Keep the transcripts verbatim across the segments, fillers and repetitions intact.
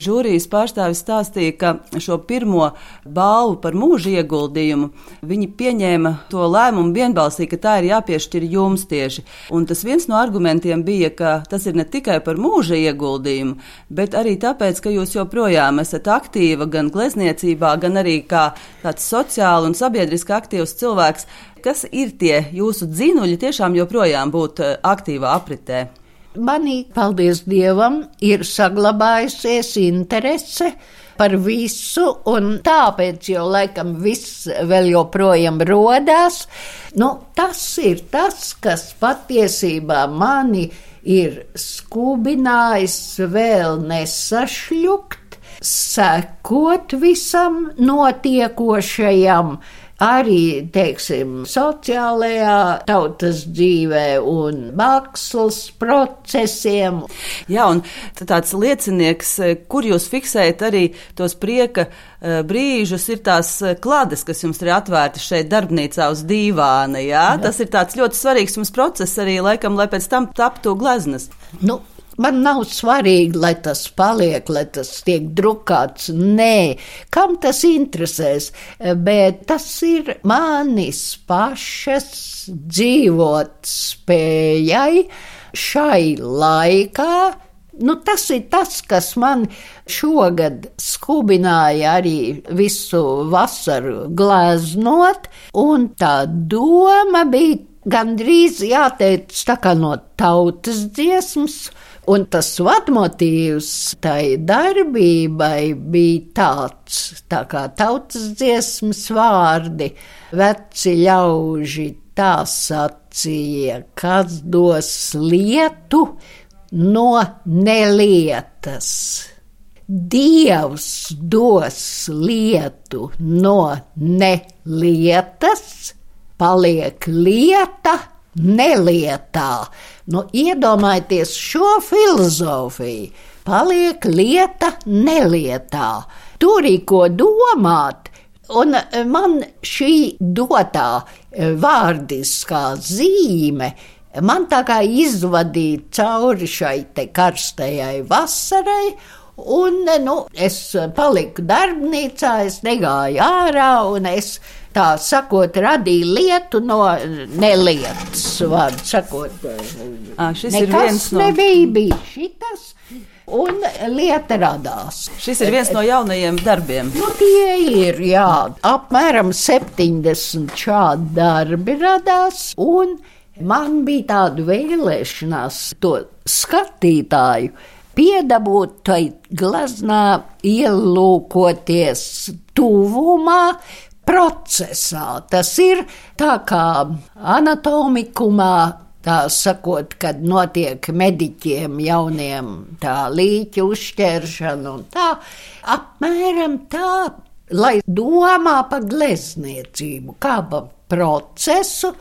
žūrijas pārstāvis stāstīja, ka šo pirmo balvu par mūža ieguldījumu viņi pieņēma to lēmumu vienbalsīgi, ka tā ir jāpiešķir jums tieši. Un tas viens no argumentiem bija, ka tas ir ne tikai par mūža ieguldījumu, bet arī tāpēc, ka jūs joprojām esat aktīva gan glezniecībā, gan arī kā tāds sociāli un sabiedriski aktīvs cilvēks. Kas ir tie jūsu dzinuļi tiešām joprojām būt aktīvā apritē? Manī, paldies Dievam, ir saglabājusies interese par visu, un tāpēc jau laikam viss vēl joprojām rodās. Nu, tas ir tas, kas patiesībā mani ir skubinājis vēl nesašļukt, sekot visam notiekošajam, arī, teiksim, sociālajā tautas dzīvē un mākslas procesiem. Jā, un tāds liecinieks, kur jūs fiksējat arī tos prieka brīžus, ir tās klades, kas jums ir atvērtas šeit darbnīcā uz dīvāna, jā? Jā. Tas ir tāds ļoti svarīgs mums process arī, laikam, lai pēc tam taptu gleznas. Nu, man nav svarīgi, lai tas paliek, lai tas tiek drukāts. Nē, kam tas interesēs, bet tas ir manis pašas dzīvot spējai šai laikā. Nu, tas ir tas, kas man šogad skubināja arī visu vasaru gleznot, un tā doma bija gandrīz jāteic tā kā no tautas dziesmas. Un tas vadmotīvs tai darbībai bija tāds, tā kā tautas dziesmas vārdi, veci ļauži tā sacīja, kas dos lietu no nelietas. Dievs dos lietu no nelietas, paliek lieta nelietā. Nu, iedomājieties šo filozofiju. Paliek lieta nelietā. Tur ir ko domāt. Un man šī dotā vārdiskā zīme, man tā kā izvadīja cauri šai te karstajai vasarai, un, nu, es paliku darbnīcā, es negāju ārā, un es, tā sakot, radīju lietu no nelietas, vārdu sakot. À, šis nekas ir viens no... nebija, bija šitas, un lieta radās. Šis ir viens no jaunajiem darbiem. Nu, tie ir, jā, apmēram septiņdesmit šādi darbi radās, un man bija tāda vēlēšanās to skatītāju piedabūt tai gleznā, ielūkoties tuvumā, procesā. Tas ir tā kā anatomikumā, tā sakot, kad notiek mediķiem jauniem tā līķu uzšķēršana un tā, apmēram tā, lai domā par glezniecību, kā par procesu,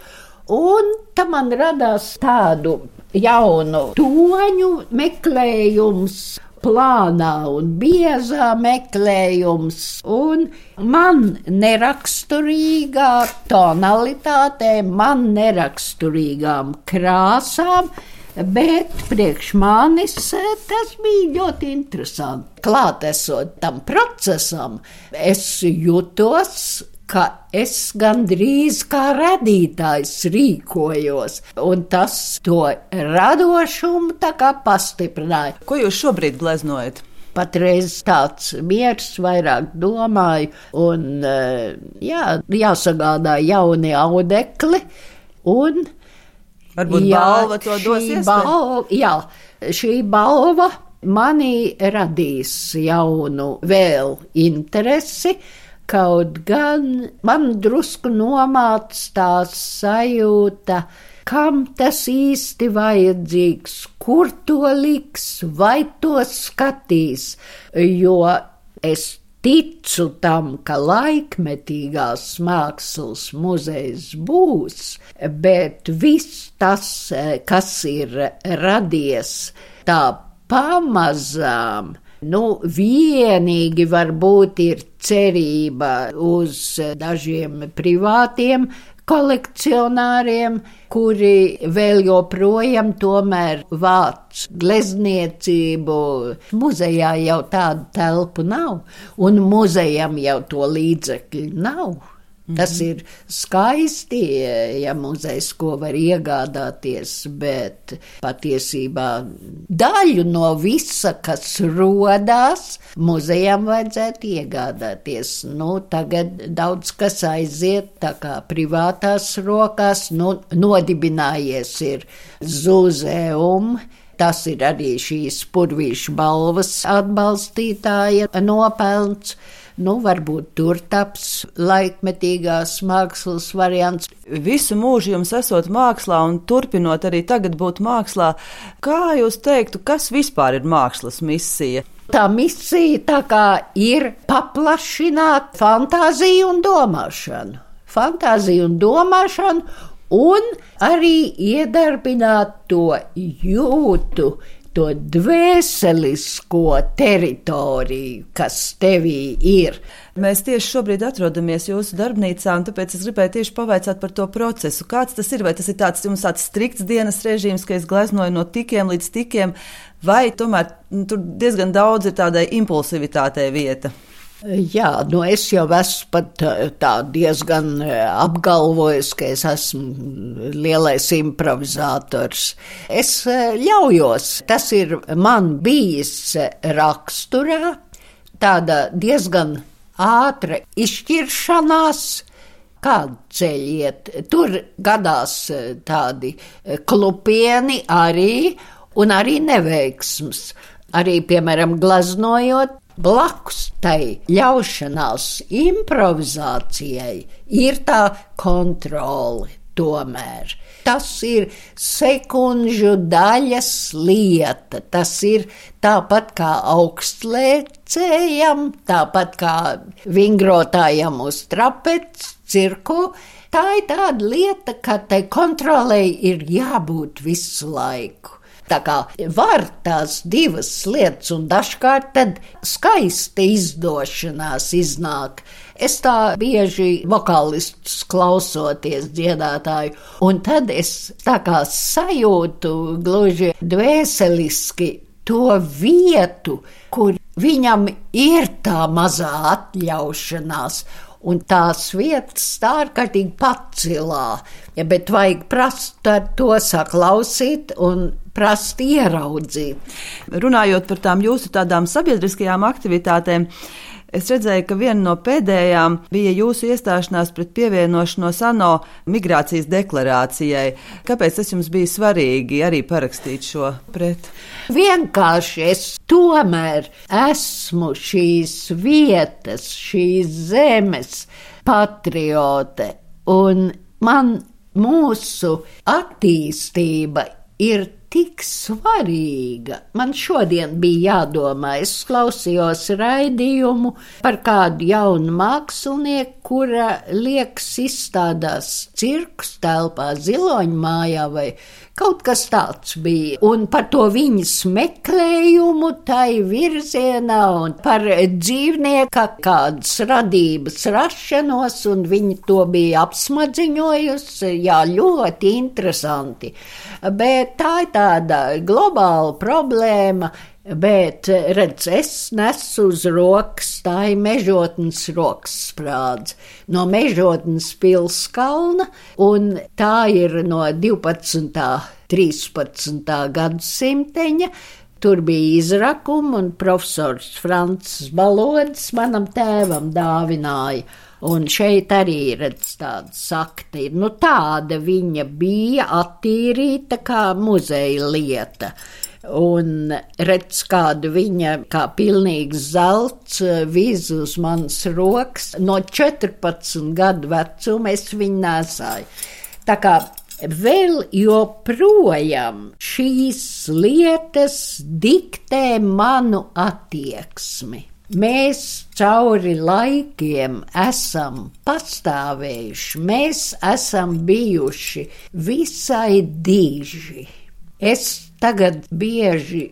un tā man radās tādu jaunu toņu meklējums, plānā un biezā meklējums, un man neraksturīgā tonalitātē, man neraksturīgām krāsām, bet priekš manis tas bija ļoti interesanti. Klātesot tam procesam, es jutos, ka es gandrīz kā radītājs rīkojos, un tas to radošumu tā kā pastiprināja. Ko jūs šobrīd gleznojat? Patreiz tāds miers, vairāk domāju, un jā, jāsagādā jauni audekli, un varbūt jā, balva to dos iespēju? Jā, šī balva manī radīs jaunu vēl interesi, kaut gan man drusku nomāc tā sajūta, kam tas īsti vajadzīgs, kur to liks, vai to skatīs, jo es ticu tam, ka laikmetīgās mākslas muzejs būs, bet viss tas, kas ir radies tā pamazām, nu, vienīgi varbūt ir cerība uz dažiem privātiem kolekcionāriem, kuri vēl joprojām tomēr vāc glezniecību. Muzejā jau tādu telpu nav, un muzejam jau to līdzekļu nav. Tas ir skaisti, ja muzejs ko var iegādāties, bet patiesībā daļu no visa, kas rodās, muzejam vajadzētu iegādāties. Nu, tagad daudz kas aiziet tā kā privātās rokās, nu, nodibinājies ir Zūzeum. Tas ir arī šīs Purvīšu balvas atbalstītāja nopelns. Nu, varbūt tur taps laikmetīgās mākslas variants. Visu mūžu jums esot mākslā un turpinot arī tagad būt mākslā, kā jūs teiktu, kas vispār ir mākslas misija? Tā misija tā kā ir paplašināt fantāziju un domāšanu. Fantāziju un domāšanu un arī iedarbināt to jūtu, to dvēselisko teritoriju, kas tevī ir. Mēs tieši šobrīd atrodamies jūsu darbnīcā, un tāpēc es gribēju tieši pavaicāt par to procesu. Kāds tas ir? Vai tas ir tāds jums tāds strikts dienas režīms, ka es gleznoju no tikiem līdz tikiem, vai tomēr nu, tur diezgan daudz ir tādai impulsivitātei vieta? Jā, nu es jau esmu pat tā diezgan apgalvojis, ka es esmu lielais improvizators. Es ļaujos, tas ir man bijis raksturā, tāda diezgan ātra izšķiršanās, kādu ceļu iet. Tur gadās tādi klupieni arī, un arī neveiksmes. Arī, piemēram, gleznojot, blakus tai ļaušanās improvizācijai ir tā kontrole tomēr. Tas ir sekundžu daļas lieta, tas ir tāpat kā augstlēcējam, tāpat kā vingrotājam uz trapec, cirku. Tā ir tāda lieta, ka tai kontrolei ir jābūt visu laiku. Tā kā var tās divas lietas un dažkārt tad skaista izdošanās iznāk. Es tā bieži vokālistus klausoties dziedātāju, un tad es tā kā sajūtu gluži dvēseliski to vietu, kur viņam ir tā mazā atļaušanās. Un tās vietas tā ārkārtīgi pacilā, ja, bet vajag prast to saklausīt un prast ieraudzīt. Runājot par tām jūsu tādām sabiedriskajām aktivitātēm, es redzēju, ka viena no pēdējām bija jūsu iestāšanās pret pievienošanos ANO migrācijas deklarācijai. Kāpēc tas jums bija svarīgi arī parakstīt šo pret? Vienkārši es tomēr esmu šīs vietas, šīs zemes patriote, un man mūsu attīstība ir tik svarīga. Man šodien bija jādomā, es klausījos raidījumu par kādu jaunu mākslinieku, kura liekas izstādās cirkus telpā, Ziloņu mājā vai kaut kas tāds bija. Un par to viņas meklējumu tai virzienā un par dzīvnieka kādas radības rašanos, un viņa to bija apsmadziņojusi. Jā, ļoti interesanti. Bet tā ir tāda globāla problēma, bet, redz, es nesu uz rokas, tā ir Mežotnes rokas sprādze no Mežotnes pilskalna, un tā ir no divpadsmitā, trīspadsmitā gadsimteņa. Tur bija izrakumi, un profesors Francis Balodis manam tēvam dāvināja. Un šeit arī redz tāda sakta. Nu, tāda viņa bija attīrīta kā muzeja lieta. Un redz, kādu viņa kā pilnīgs zelts viz uz manas rokas. No četrpadsmit gadu vecuma es viņu nesāju. Tā kā vēl joprojām šīs lietas diktē manu attieksmi. Mēs cauri laikiem esam pastāvējuši, mēs esam bijuši visai diži. Es tagad bieži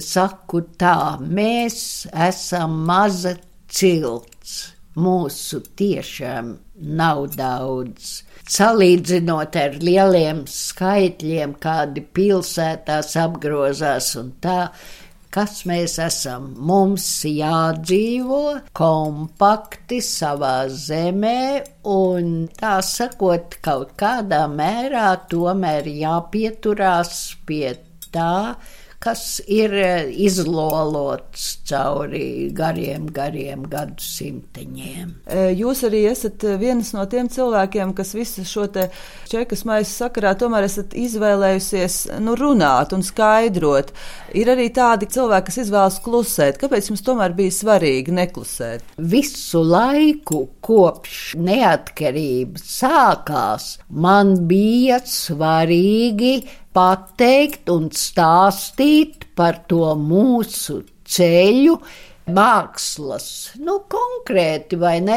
saku tā, mēs esam maza cilts. mūsu tiešām nav daudz. Salīdzinot ar lieliem skaitļiem, kādi pilsētās apgrozās un tā, kas mēs esam. Mums jādzīvo kompakti savā zemē un, tā sakot, kaut kādā mērā tomēr jāpieturās pie tā, kas ir izlolots cauri gariem, gariem gadsimteņiem. Jūs arī esat viens no tiem cilvēkiem, kas visu šo te čekas maisu sakarā tomēr esat izvēlējusies nu, runāt un skaidrot. Ir arī tādi cilvēki, kas izvēlas klusēt. Kāpēc jums tomēr bija svarīgi neklusēt? Visu laiku, kopš neatkarības sākās, man bija svarīgi pateikt un stāstīt par to mūsu ceļu, mākslas, nu konkrēti vai ne,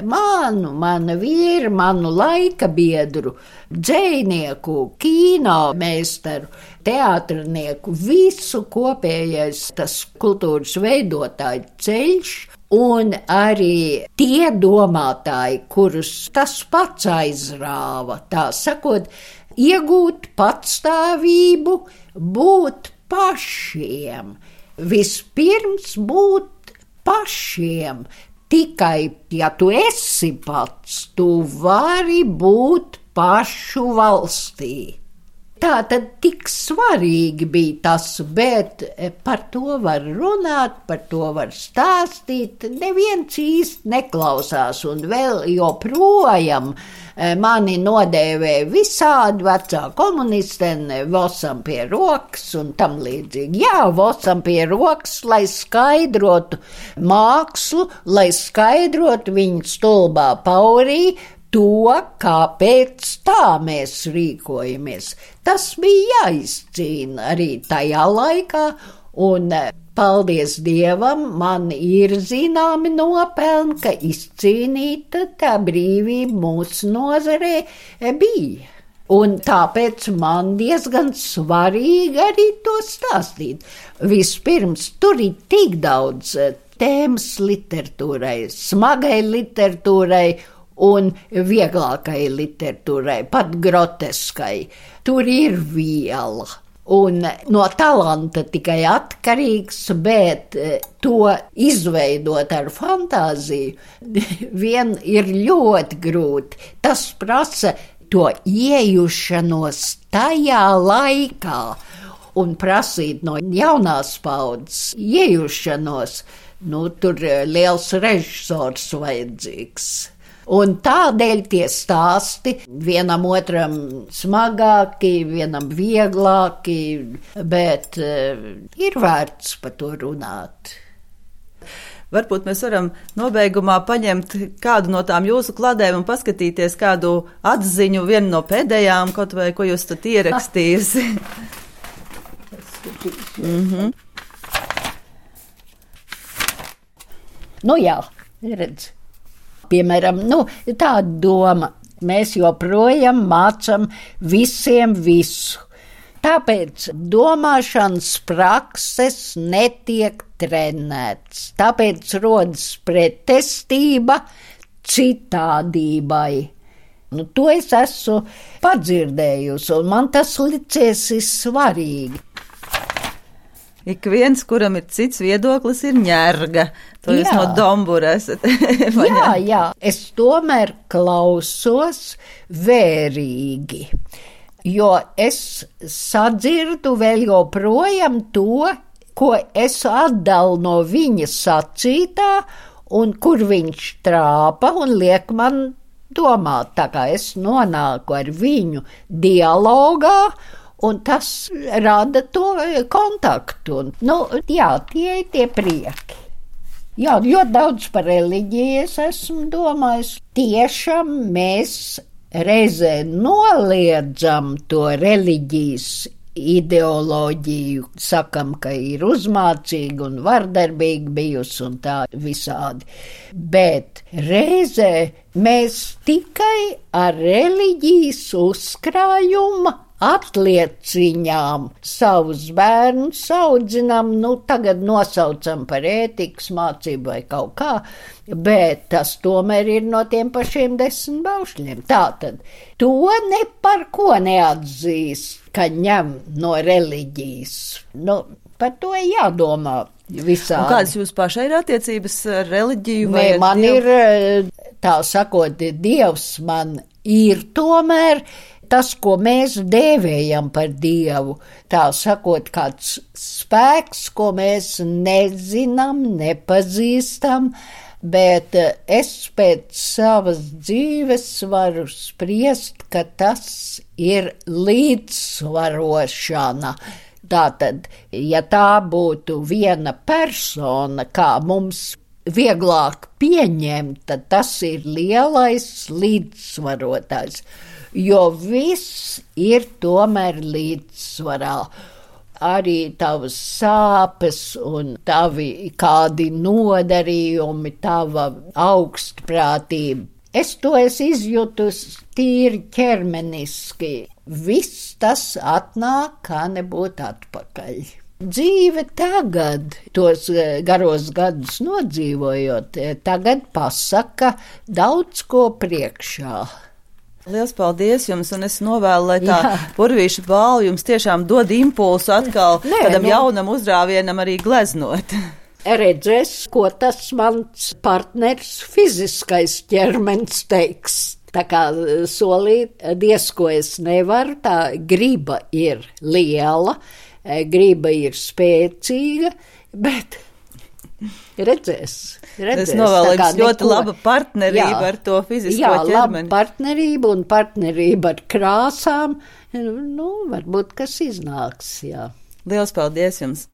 manu, mana vīra, manu laika biedru, dzejnieku, kino meistaru, teātrnieku, visu kopējais tas kultūras veidotāju ceļš. Un arī tie domātāji, kurus tas pats aizrāva, tā sakot, iegūt patstāvību, būt pašiem. Vispirms būt pašiem. Tikai, ja tu esi pats, tu vari būt pašu valstī. Tā tad tik svarīgi bija tas, bet par to var runāt, par to var stāstīt, neviens īsti neklausās un vēl joprojām mani nodēvē visādi vecā komunistene, vosam pie rokas un tam līdzīgi. Jā, vosam pie rokas, lai skaidrotu mākslu, lai skaidrotu viņu stulbā paurī, to, kāpēc tā mēs rīkojamies. Tas bija jāizcīna arī tajā laikā, un paldies Dievam, man ir zināmi nopelni, ka izcīnīta tā brīvība mūsu nozarē bija. Un tāpēc man diezgan svarīgi arī to stāstīt. Vispirms, tur ir tik daudz tēmas literatūrai, smagai literatūrai, un vieglākai literatūrai, pat groteskai. Tur ir viela. Un no talanta tikai atkarīgs, bet to izveidot ar fantāziju vien ir ļoti grūti. Tas prasa to iejušanos tajā laikā un prasīt no jaunās paudzes iejušanos. Nu, tur liels režisors vajadzīgs. Un tādēļ tie stāsti vienam otram smagāki, vienam vieglāki, bet uh, ir vērts par to runāt. Varbūt mēs varam nobeigumā paņemt kādu no tām jūsu kladēm un paskatīties kādu atziņu, vienu no pēdējām, kaut vai ko jūs tad ierakstījusi. mm-hmm. Nu jā, redz. Piemēram, nu, tāda doma, mēs joprojām mācam visiem visu. Tāpēc domāšanas prakses netiek trenēts. Tāpēc rodas pretestība citādībai. Nu, to es esmu padzirdējusi, un man tas licies svarīgi. Ik viens, kuram ir cits viedoklis, ir ņērga. To jā. Jūs no Dombura esat. jā, jā, es tomēr klausos vērīgi, jo es sadzirdu vēl joprojām to, ko es atdalu no viņa sacītā un kur viņš trāpa un liek man domāt, tā kā es nonāku ar viņu dialogā, un tas rada to kontaktu. Un, nu, jā, tie ir tie prieki. Jā, ļoti daudz par reliģiju es esmu domājis. Tiešām mēs reizē noliedzam to reliģijas ideoloģiju, sakam, ka ir uzmācīga un vardarbīga bijusi un tā visādi. Bet reizē mēs tikai ar reliģijas uzkrājuma atlieciņām savus bērnus audzinām, nu tagad nosaucam par ētikas mācību vai kaut kā, bet tas tomēr ir no tiem pašiem desmit baušļiem. Tātad to ne par ko neatzīst, ka ņem no reliģijas. Nu, par to jādomā visādi. Un kādas jūs pašai ir attiecības ar reliģiju? Vai ne, man dievu? Ir, tā sakot, Dievs man ir tomēr tas, ko mēs dēvējam par Dievu. Tā sakot, kāds spēks, ko mēs nezinām, nepazīstam, bet es pēc savas dzīves varu spriest, ka tas ir līdzsvarošana. Tātad, ja tā būtu viena persona, kā mums vieglāk pieņemt, tad tas ir lielais līdzsvarotājs, jo viss ir tomēr līdzsvarā. Arī tavas sāpes un tavi kādi nodarījumi, tava augstprātība. Es to esmu izjutusi tīri ķermeniski. Viss tas atnāk, kā nebūt atpakaļ. Dzīve tagad, tos garos gadus nodzīvojot, tagad pasaka daudz ko priekšā. Liels paldies jums, un es novēlu, lai tā Purvīša balva jums tiešām dod impulsu atkal Nē, kādam nu, jaunam uzrāvienam arī gleznot. Redzēs, ko tas mans partners fiziskais ķermenis teiks. Tā kā solīt, diez ko es nevaru, tā griba ir liela, griba ir spēcīga, bet redzēs. redzēs. Es novēlu jums ļoti laba partnerība jā, ar to fizisko jā, ķermeni. Jā, laba partnerība un partnerība ar krāsām, nu, varbūt kas iznāks, jā. Liels paldies jums!